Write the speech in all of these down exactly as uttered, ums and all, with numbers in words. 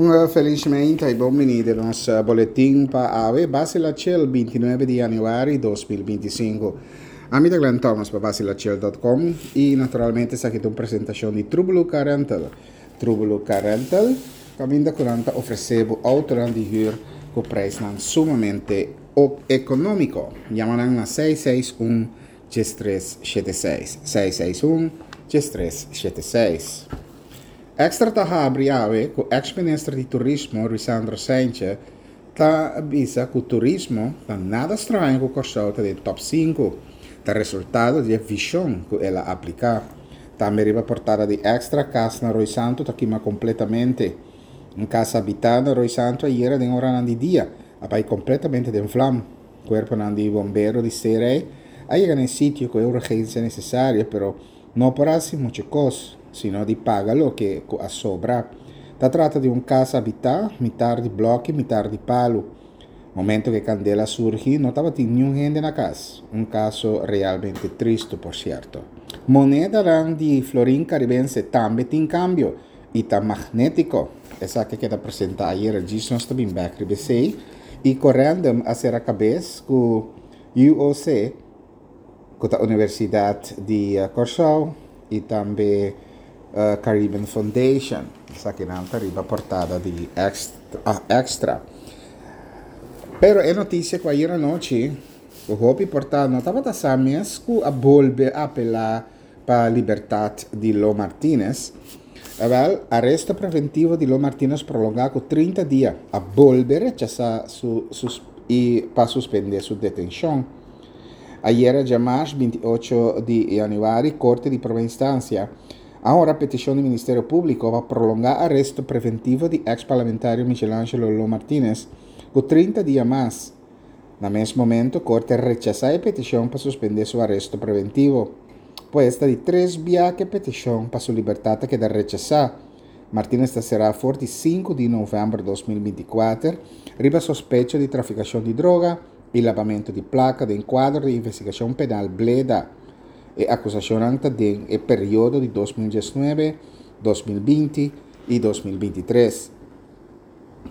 Un felismente i bon biní den nos boletin pa awe, Basila Chill, bintinuebe di yanüari di dos mil bintisinku. Ami ta Glenn Thomas pa basilachel punto com i naturalmente esaki ta un presentashon di Trubulu Car Rental. Trubulu Car Rental, kaminda ku nan ta ofresé outo di huur ku preis sumamente ekonómiko. Yama na seis seis un, tres sete seis, seis seis un, tres sete seis. Extra ta habri awe ku ex-minister di Turismo, Ruisandro Cijntje, ta bisa ku turismo ta nada straño ku Kòrsou ta den top sinku. Ta resultado di vishon ku el a apliká. Tambe riba portada di Extra, kas na Rooi Santu ta kima kompletamente. Un kas habitá na Rooi Santu ayera den ora di dia a bai kompletamente den vlam. Kuerpo di bombero di C R E a yega na sitio ku e urgensia nesesario, pero no por hasi muchu kos, sino di paga loke a sobra. Ta trata di un kas habitá, mitar di blòki, mitar di palu. Momento ku kandela surgi, no tabatin ningun hende na kas. Un kaso realmente tristu, por sierto. Moneda di florin karibense tambe tin kambio i ta magnétiko. Esaki a keda presentá ayera, nos tambe bèk R B C i Corendon a sera kabes ku U O C, ku ta Universidat di Kòrsou, i tambe uh, Caribbean Foundation. Esaki nan ta riba portada di Extra. Ah, extra. Pero e notisia ku ayera nochi, e hopi portada no tabata sa mes ku a bolbe apelá pa libertat di Lo Martinez. Wel, aresto preventivo di Lo Martinez prolongá ku trinta dia. A bolbe rechasá su, su, i pa suspendé su detenshon. Ayera, djamars, bintiocho di yanüari, Korte di Promé Instansia a honra petishon di Ministerio Públiko pa prolongá aresto preventivo di eks-parlamentario Michelangelo Lo Martinez ku trinta dia mas. Na mes momento, Korte a rechasá e petishon pa suspendé su aresto preventivo. Pues ta di tres biaha ku e petishon pa su libertat a keda rechasá. Martinez ta será for di sinku di novèmber di dos mil bintikuater, riba sospecho di trafikashon di droga i labamentu di plaka den kuadro di investigashon penal Bleda. E akusashon ta den e periodo di dos mil diesnuebe, dos mil binti i dos mil bintitres.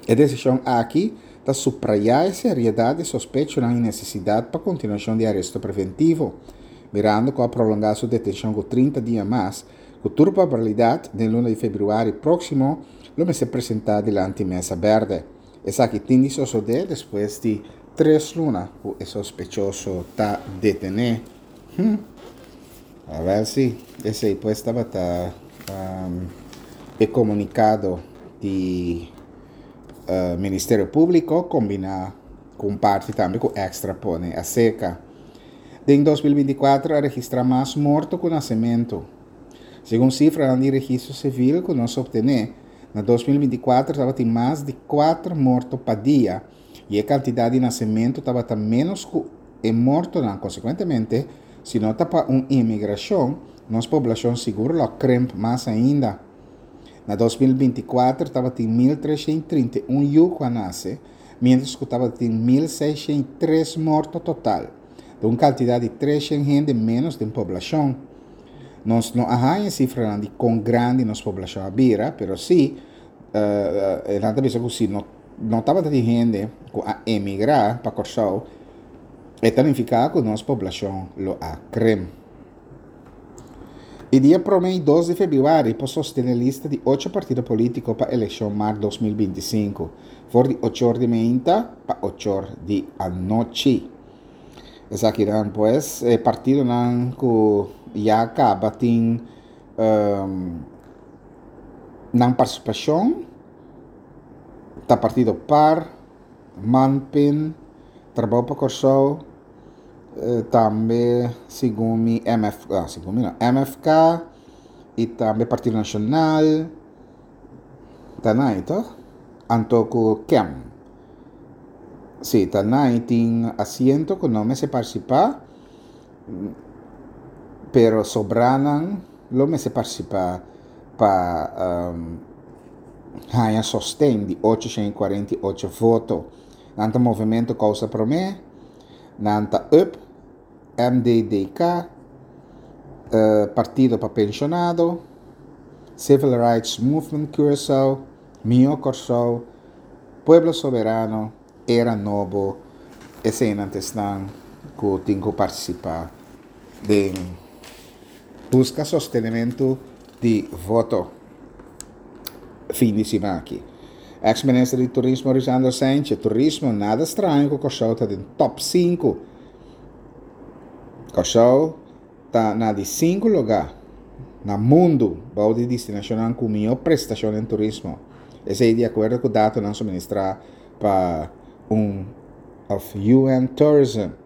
E desishon aki ta suprayá e seriedat di sospecho i nesesidat pa kontinuashon di aresto preventivo. Mirando ku a prolongá su detenshon ku trinta dia mas, ku tur probabilidat, den luna di febrüari próksimo, lo mester presentá dilanti mesa bèrdè. Esaki tin di sosodé despues di tres luna ku e sospechoso ta detené. Hum. A ber si esei pues tabata um, e komunikado di uh, Ministerio Públiko kombiná ku parti tambe ku Extra pone a seka. Den dos mil bintikuater a registrá mas morto ku nasementu. Segun sifra di registro sivil ku nos a optené, na dos mil bintikuater tabatin mas di kuater morto pa dia i e kantidat di nasementu tabata ménos ku e mortonan. Konsekuentemente, si no ta pa un imigrashon, nos poblashon sigur lo krimp mas ainda. Na dos mil bintikuater tabatin mil treshen trinta i un yu ku a nase, mientras ku tabatin mil seisshen tres morto total. Un kantidat di tresshen hende ménos den poblashon. Nos no a sifra di kon grandi nos poblashon a bira, pero sí, uh, uh, bisa ku si no no tabatin hende ku a emigrá pa Kòrsou, e ta nifiká ku nos poblashon lo a krimp. E dia promé dos di febrüari por sostené lista di ocho partido polítiko pa elekshon mart dos mil bintisinku. For di ocho or di mainta pa ocho or di anochi. Esakinan pues eh, partidonan ku ya kaba tin um, nan partisipashon ta partido PAR, MANPIN, Trabou pa Kòrsou, eh, tambe segun mi M F, ah, segun mi no, M F K i tambe Partido Nashonal, ta nan, toch? Anto ku K E M. Sí, ta nan tin asiento ku no mester partisipá, pero sobranan lo mester partisipá pa um, haña sosten di ochocientos cuarenta y ocho voto. Nan ta Movementu Kousa Promé, nan ta U P, M D D K, uh, Partido pa Penshonado, Civil Rights Movement Curaçao, Mihó Kòrsou, Pueblo Soberano, Era Nobo, eseinan ta esnan ku tin ku partisipá den buska sostenementu di voto fin di siman aki. Ex minister di Turismo Ruisandro Cijntje, Turismo, nada straño ku Kòrsou ta den top sinku. Kòrsou ta na di sinku lugá na mundu bou di destinashonnan ku mihó prestashon den turismo. Esei di akuerdo ku datonan suministrá pa un of U N Tourism.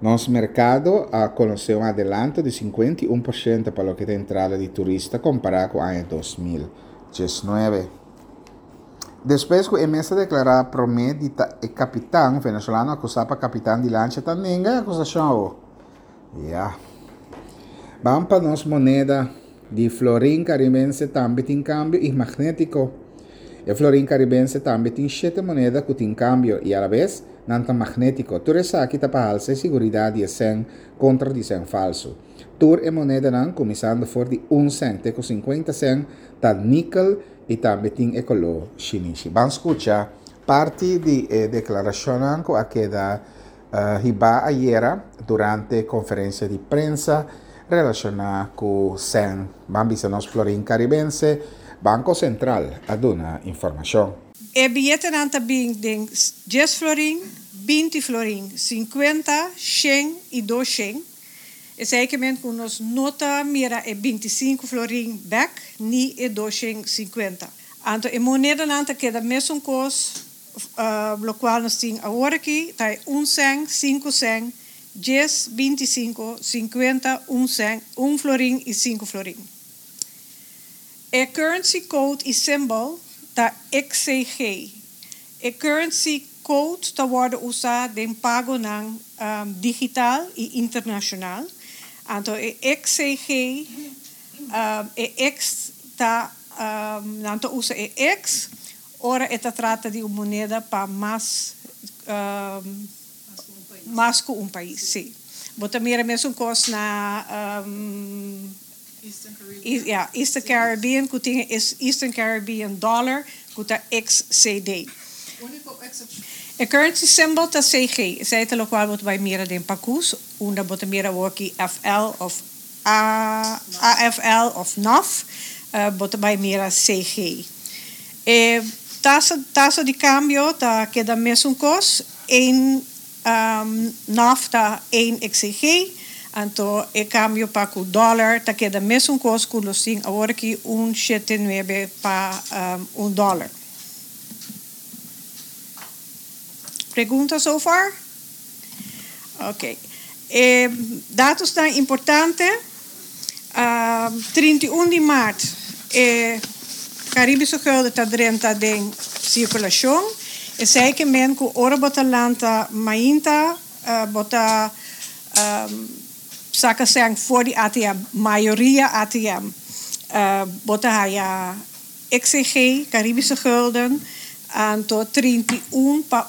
Nos merkado a konosé un adelanto di sinkuenta i un porshento pa loke ta entrada di turista kompará ku aña dos mil diesnuebe. Despues ku e mes a deklará promé di ta e kapitan, venezolano akusá pa kapitan di lancha ta nenga e akusashon awo. Ya. Ban pa nos moneda di florin karibense tambe tin kambio i magnétiko. E florin karibense tambe tin shete moneda ku tin kambio i alabes nan ta magnétiko. Tur esaki ta pa halsa e siguridat di e sèn kontra di sèn falsu. Tur e monedanan, kuminsando for di un sèn te ku sinkuenta sèn, ta nikel i tambe tin e koló shinishi. Ban skucha parti di e deklarashonnan ku a keda hibá ayera durante konferensia di prensa relashoná ku sèn. Ban bisa nos florin karibense, Banko Sentral a duna informashon. E biyetenan ta bin den dies florin, binti florin, sinkuenta, shen i dos shen. Esei ke men ku nos no ta mira e binti sinku florin bèk ni e dos shen sinkuenta. Anto e monedanan ta keda mesun kos, lokual nos tin awor aki ta e un sèn, sinku sèn, dies, binti sinku, sinkuenta, un sèn, un florin i sinku florin. E currency code i symbol ta X C G. E currency code ta wòrdu usá den pagonan digital i internashonal. Anto e X C G, e X ta, nan ta usa e X ora e ta trata di un moneda pa mas mas ku un pais, sí. Bo ta mira mesun kos na Eastern Caribbean. Ja, Eastern Caribbean, ku tin Eastern Caribbean dollar, ku ta X C D. Úniko eksepshon. E currency symbol ta C G. Esei ta lokual bo ta bai mira den pakus, unda bo ta mira aki F L of A, A F L of N A F, uh, bo ta bai mira C G. E tasa, tasa di kambio ta keda mesun kos, un um, N A F ta un X C G, anto e kambio pa ku dòler ta keda mesun kos ku nos tin awor aki, un shete nuebe pa um, un dòler. Pregunta so far? Ok. Eh, datonan importante. Uh, trinta i un di mart, eh, Karibische gulden ta drenta den sirkulashon. Esei ke men ku ora bo ta lanta mainta, uh, bo ta um, saka sèn for di A T M, mayoria A T M. Uh, bo ta haya X C G, Karibische gulden, anto trinta i un pa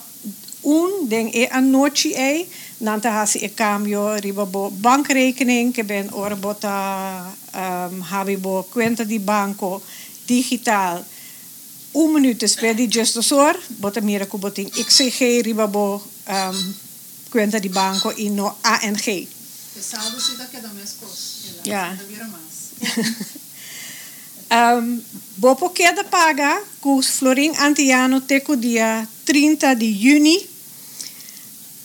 un den e anochi ei, nan ta hasi e kambio riba bo bankrekening, ke men ora bo ta um, habri bo kuenta di banko digital. Un minüt despues di diesdos or, bo ta mira ku bo tin X C G riba bo um, kuenta di banko i no A N G. E saldo si ta keda meskos. Ja. Ta bira mas. Um, bo por keda paga ku florin antiano te ku dia trinta di yüni.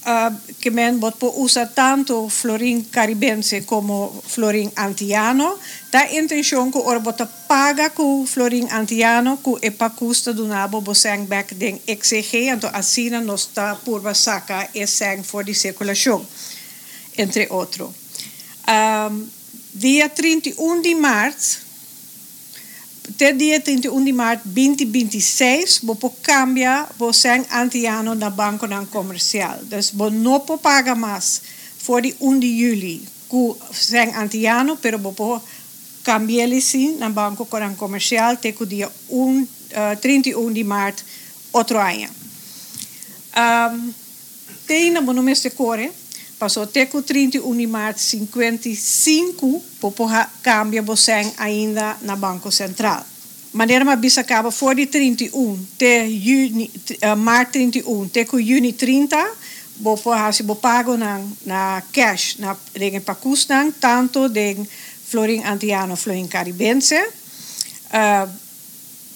Uh, ke men bo por usa tantu florin karibense komo florin antiano. Ta intenshon ku ora bo ta paga ku florin antiano ku e pakus ta duna bo bo sèn bèk den X C G, anto asina nos ta purba saka e sèn for di sirkulashon, entre otro. Um, dia trinta i un di mart, te dia trinta i un di mart dos mil binti seis, bo por kambia bo sèn antiano na bankonan komersial. Dus bo no por paga mas for di un di yüli ku sèn antiano, pero bo por kambia sí na bankonan komersial te ku dia un, uh, trinta i un di mart otro aña. Um, te na bo no mester kore, paso te ku trinta i un di mart sinkuenta i sinku, bo por kambia bo sèn ainda na Banko Sentral. Manera m'a bisa kaba, for di trinta i un te yüni, uh, mart trinta i un te ku yüni trinta, bo por hasi bo pago na, na cash, na den pakusnan, tantu den florin antiano, florin karibense. Uh,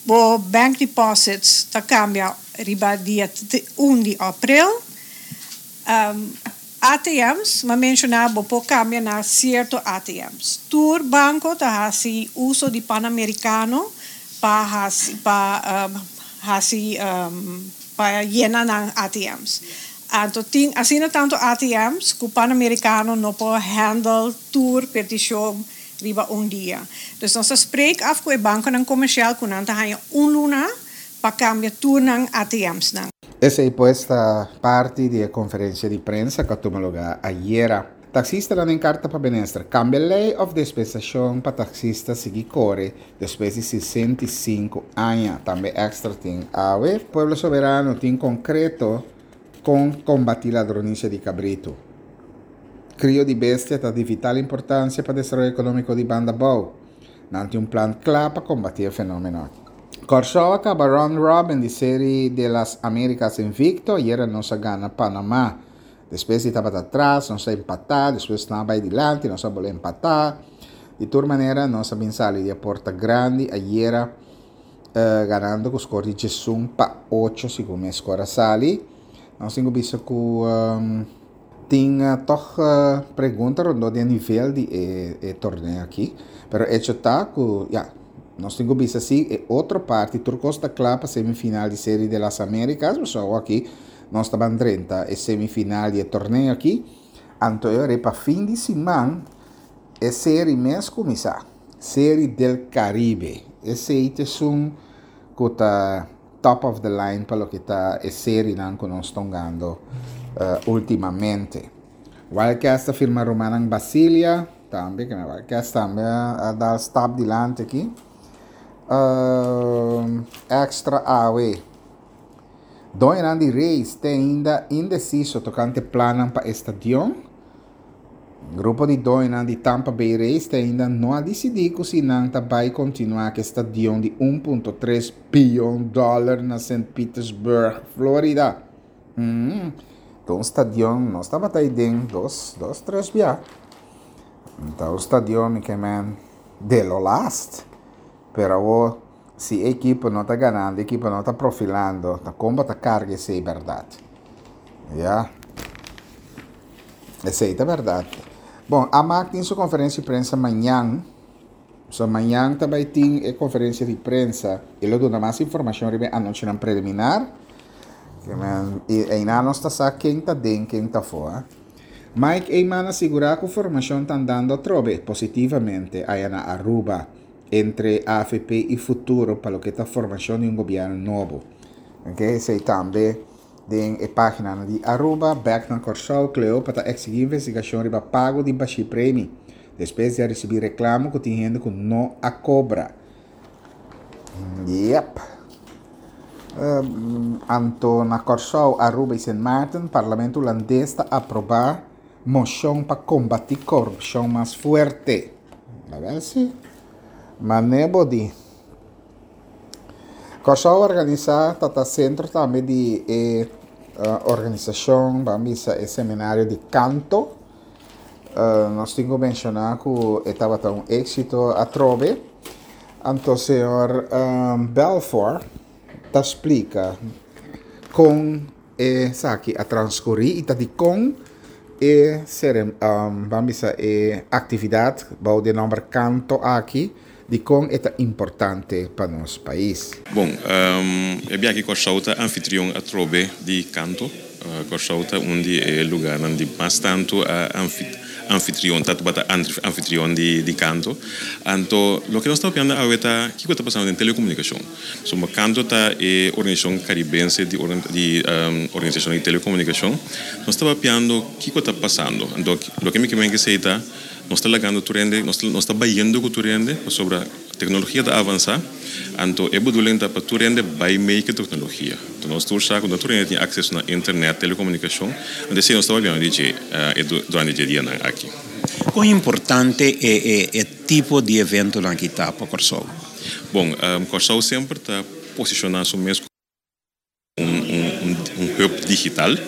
bo bank deposits ta kambia riba dia un di aprel. Um, A T Ms, m'a menshoná, bo por kambia na sierto A T Ms. Tur banko ta hasi uso di Panamericano pa hasi pa um, hasi um, pa yena nan A T Ms. Anto tin asina tantu A T Ms ku Panamericano no por handle tur petishon riba un dia. Dus nos a spreek af ku e bankonan komersial ku nan ta haña un luna pa kambia tur nan A T Ms nan. Esei pues ta parti di e konferensia di prensa ku a tuma lugá ayera. Taksistanan den karta pa minister. Kambia lei òf dispensashon pa taksista sigui kore despues di sesenta i sinku aña. Tambe Extra tin awe. Pueblo Soberano tin konkreto kon kombatí ladronisia di kabritu. Krio di bestia ta di vital importansia pa desaroyo ekonómiko di Banda Bou. Nan tin un plan kla pa kombatí e fenómeno. Kòrsou a kaba round robin di Serie de las Américas invikto. Ayera nos a gana Panamá. Despues di tabata atras, nos a empatá, despues nan a bai dilanti, nos a bolbe empatá. Di tur manera, nos a bin sali di porta grandi ayera, uh, ganando ku score di diesun pa ocho, segun e score sali. Nos tin visto ku um, tin uh, toch uh, pregunta rondó di nivel di e, e torneo aki, pero hecho ta ku ja, nos tin visto asina, e otro parti, tur kos ta kla pa semifinal di Serie de las Américas, so aki nos ta bai drenta e semifinal di e torneo aki. Anto e pa fin di siman e serie mes kuminsá. Serie del Caribe. Esei ta un ku ta top of the line pa loke ta e serienan ku nos ta hungando uh, últimamente. Wildcats a firma Romanan Basilia, tambe, ku Wildcats tambe a dal stap dilanti aki. Uh, extra awe. Doñonan di Rays ta ainda indesiso tokante plan pa stadion. Grupo di doñonan di Tampa Bay Rays ainda no a disidí ku si nan ta bai kontinuá ku e stadion di un punto tres bion dòler na Saint Petersburg, Florida. Hum, anto, stadion, nos tabata ei dos, dos, tres bia. Anto, stadion ke men de lo last. Pero si e ekipo no ta ganando, e ekipo no ta profilando, ta kon ta karga esei, bèrdat? Ja. Esei ta bèrdat. Bon, Amak tin su konferensia di prensa mañan. So, mañan tambe tin e konferensia di prensa. E lo duna mas informashon riba anunsionan preliminar. I ainda no sa ken ta den, ken ta afó. Mike Eman a sigurá ku formashon ta andando trobe positivamente aya na Aruba entre A V P i Futuro pa loke ta formashon di un gobièrnu nobo. Ok, esei tambe den e página di Aruba. Bèk na Kòrsou, Cleopa ta eksigí investigashon riba pago di Bashi Premi despues di risibí reklamo ku tin hende ku no a kobra. Yep. Um, anto na Kòrsou, Aruba i Saint Martin, Parlamento hulandes ta aprobá moshon pa kombatí korupshon mas fuerte. A ber si. Manebo di. Kòrsou a organisá, ta sentro tambe di eh, organisashon, ban bisa, e seminario di kanto. Uh, nos tin ku menshoná ku tabata un éksito atrobe. Anto, señor um, Belfort ta splika kon esaki a transkurí i ta di kon e ser um, ban bisa, e aktividat bou di nòmber Kanto aki, di kon ta importante pa nos pais. Bon, um, e biaha aki Kòrsou ta anfitrion atrobe di Kanto. Uh, Kòrsou ta un di e lugánan di mas tantu a anfitrion, ta bata anfitrion di, di Kanto. Anto, loke nos ta papiando awe ta kiko ta pasando den telekomunikashon. So, Kanto ta e organisashon karibense di, di um, organisashon di telekomunikashon. Nos ta papiando kiko ta pasando. Anto, loke mi ke bisa ta, nos ta lagando tur hende, nos nos ta bayendo ku tur hende sobre teknologia ta avansá, anto e bedoeling ta pa tur hende bai mee ku teknologia. Anto nos tur sa ku tur hende tin akseso na internet, telekomunikashon, anto esei nos ta papiando di uh, durante e dianan aki. Kon importante e, e, e tipo di evento aki ta pa Kòrsou? Bon, um, Kòrsou semper ta posishoná su mes un, un, un, un hub digital.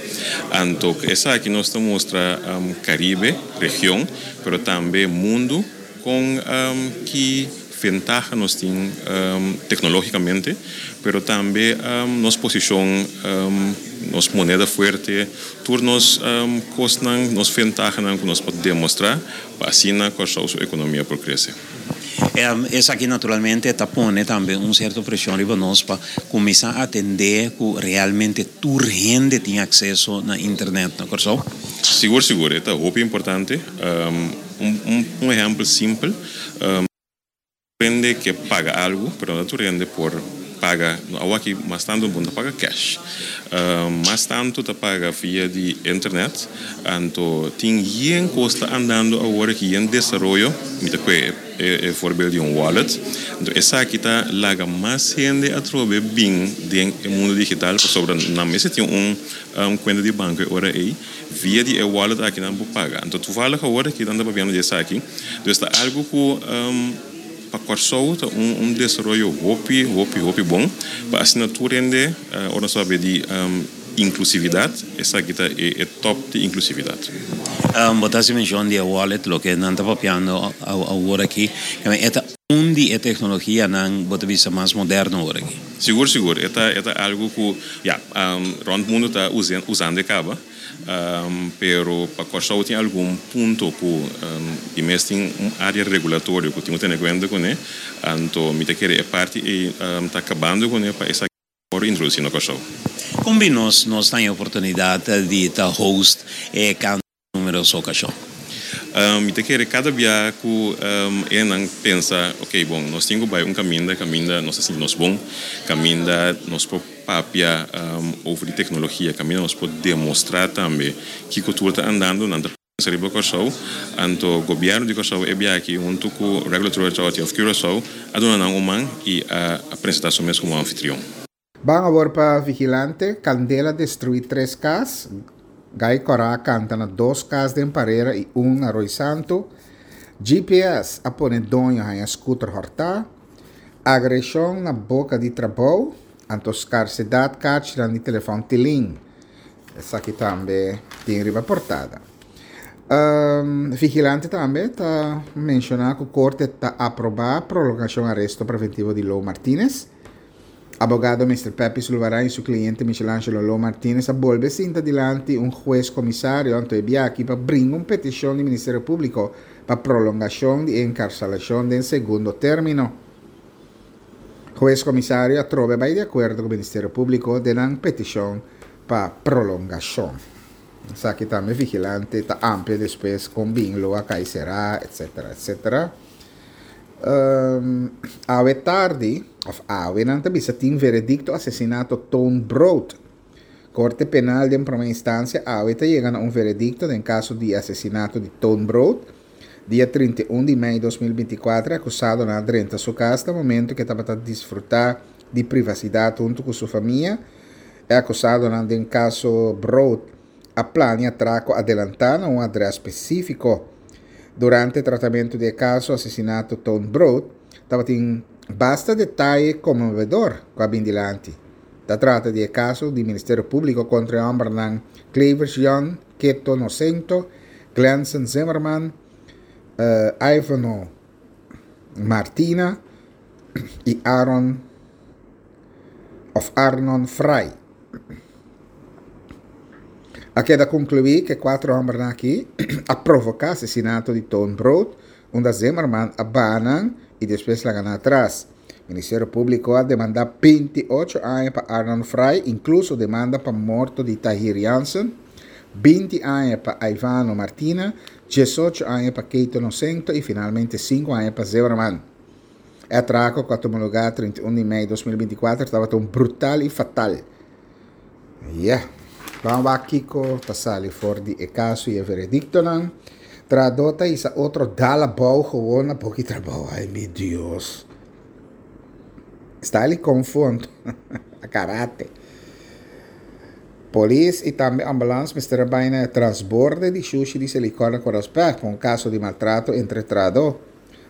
Anto, esaki nos ta mustra um, Karibe, region, pero tambe mundu ku um, ki ventaha nos tin um, teknológikamente, pero tambe um, nos posishon, um, nos moneda fuerte, tur nos um, kosnan, nos ventaha ku nos por demostrá, pa asina Kòrsou su ekonomia por krese. Um, esaki naturalmente ta pone tambe un sierto preshon riba nos pa kuminsá atendé ku realmente tur hende tin akseso na internet na Kòrsou. Sigur, sigur, ta hopi importante. Um, un, un, un ehèmpel simpel. Um, hende ke paga algu, pero no tur hende por paga, aki mas tantu bo ta paga cash. Uh, mas tantu ta paga via di internet, anto tin yen kos ta andando awor aki den desaroyo, mi ta e, e, e voorbeeld di un wallet. Anto esaki ta laga mas hende atrobe bin den mundu digital, pasobra nan mester tin un un kuenta di banko ora ei via di e wallet aki nan por paga. Anto toevallig awor aki nan ta papiando di esaki. Dus ta algu ku um, pa Kòrsou un, un desaroyo hopi, hopi, hopi bon. Pa asina tur hende, uh, ora sabe di um, inklusividat, esaki ta e, e top di inklusividat. Um, bo ta menshoná di wallet, loke nan ta papiando awor aki, ta un di e teknologianan bo ta bisa mas moderno awor aki. Sigur, sigur. E ta, e ta algu ku, ja, um, rònt mundu ta usando, usando kaba. Um, pero pa Kòrsou tin algun punto ku um, e mes tin un área regulatorio ku tin ku tene kuenta kuné, anto mi ta kere e parti ei um, ta kabando kuné pa esaki por introdusí na Kòrsou. Kon nos nos tin oportunidat di ta host e kanto numeroso okashon? Um, mi ta kere kada bia ku um, e nan pensa, ok, bon, nos tin ku bai un kaminda, kaminda nos asina nos bon, kaminda nos por papia um, over di teknologia, kaminda nos por demostrá tambe ku kultura ta andando, nan ta riba Kòrsou, anto gobièrnu di Kòrsou e bia aki huntu ku Regulatory Authority of Curaçao, a duna nan un man i a, a presentá su mes komo anfitrion. Ban awor pa Vigilante, kandela a destruí tres kas, Gai Kòrá kanta na dos kas den Parera i un na Rooi Santo, G P S a pone doño haña scooter hòrtá, agreshon na boka di trabou, anto skarsedat karchinan di telefòn Tilin. Esaki tambe tin riba portada. Um, Vigilante tambe ta menshoná ku korte ta aprobá prolongashon aresto preventivo di Lo Martinez. Abogado Mister Pepe Sulvaran i su kliente Michelangelo Lo Martinez a bolbe sinta dilanti un hues komisario anto e bia aki pa bringa un petishon di Ministerio Públiko pa prolongashon di enkarselashon den segundo término. Hues komisario atrobe a bai di akuerdo ku Ministerio Públiko den nan petishon pa prolongashon. Esaki tambe Vigilante ta amplia despues kon bin Lo a kai será, et cetera, et cetera. Um, awe tardi, òf awe nan ta bisa tin veredikto asesinato Toon Brood. Korte Penal di Promé Instansia awe ta yega na un veredikto den kaso di asesinato di Toon Brood. Dia trinta i un di mei di dos mil binti kuater, akusadonan a drenta su kas na momento ku e tabata disfrutá di privasidat huntu ku su famia. E akusadonan den kaso Brood a plania atrako adelantá na un adrès spesífiko. Durante tratamentu di kaso asesinato Toon Brood, tabatin basta detaye konmovedor ku a bin dilanti. Ta trata di kaso di Ministerio Públiko kontra e hòmbernan Clavers Young, Keto Nocento, Glenson Zimmerman, uh, Ivano Martina i Aaron òf Arnon Frey. A keda konkluí ku e kuater hòmbernan aki a provoká asesinato di Toon Brood, unda Zimmerman a baha nan i despues laga nan atras. Ministerio Públiko a demandá binti ocho aña pa Arnon Frey, inkluso demanda pa morto di Tahir Jansen, binti aña pa Ivano Martina, diesocho aña pa Keito Nocento i finalmente sinku aña pa Zimmerman. E atrako ku a tuma lugá trinta i un di mei di dos mil binti kuater tabata un brutal i fatal. Yeah. Ban wak kiko ta sali for di e kaso i e verediktonan. Trahadó ta hisa otro dal abou gewoon na bok'i trabou. Ai, mi Dios. Style confronto. A karate. Polis i tambe ambulans mester a bai na transborde di shushi di Selikor na Koraspek pa un kaso di maltrato entre trahadó.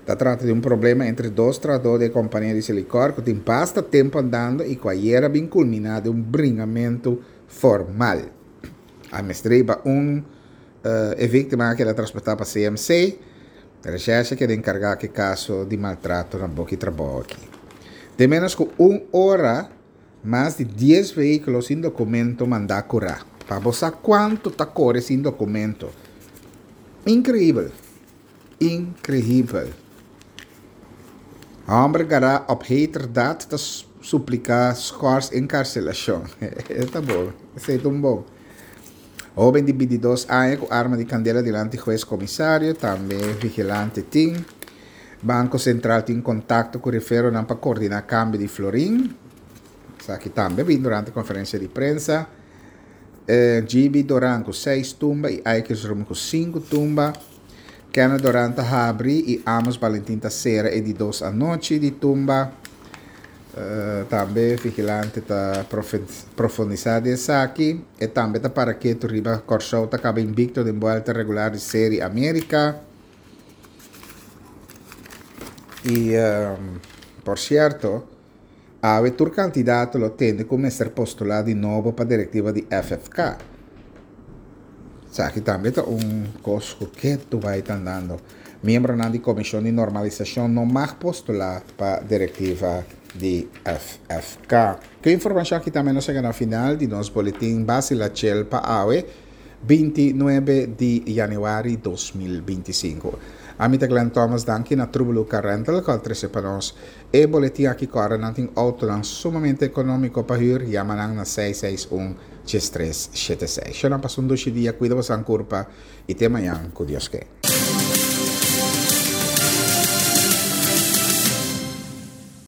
Ta trata di un problema entre dos trahadó di e kompania di Selikor ku tin basta tempu andando i ku ayera bin kulminá den un bringamentu formal. A mester hiba un e víktima a keda transportá pa C M C. Reshèrshe a keda enkargá ku e kaso di maltrato na boki trabou aki. Den ménos ku un ora mas di dies vehíkulo sin dokumento mandá kurá. Pa bo sa kuantu ta kore sin dokumento. Inkreibel. Inkreibel. Hòmber gará op heterdaad ta supliká skòrs enkarselashon. Ta bon. Esei ta un bon. Hóben di bintidos aña ku arma di kandela dilanti hues komisario, tambe Vigilante tin. Banko Sentral tin kontakto ku riferonan pa koordiná kambio di florin. Esaki tambe bin durante konferensia di prensa. G B Doran ku seis tumba i Eikersroom ku sinku tumba. Kenneth Doran ta habri i Amos Valentin ta sera e di dos anochi di tumba. Uh, tambe Vigilante ta profundisá den esaki i tambe ta para ketu riba Kòrsou ta kaba invicto den buelta regular di Serie Amerika. I um, por sierto, awe tur kandidato lo tende ku mester postulá di nobo pa direktiva di F F K. Esaki tambe ta un kos ku ta bai andando. Miembronan di komishon di normalisashon no mag postulá pa direktiva di F F K. Ku e informashon aki tambe nos a yega na final di nos boletin Basila Chel pa awe, bintinuebe di yanüari di dos mil bintisinku. Ami ta Glenn Thomas, danki na Trubelu Car Rental, ku a trese pa nos e boletin aki. Kòrda, nan tin outonan sumamente ekonómiko pa hür, yama nan na seis seis un tres sete seis. Shona, pasa un dushi dia, kuida bo kurpa i te mañan, ku Dios ke.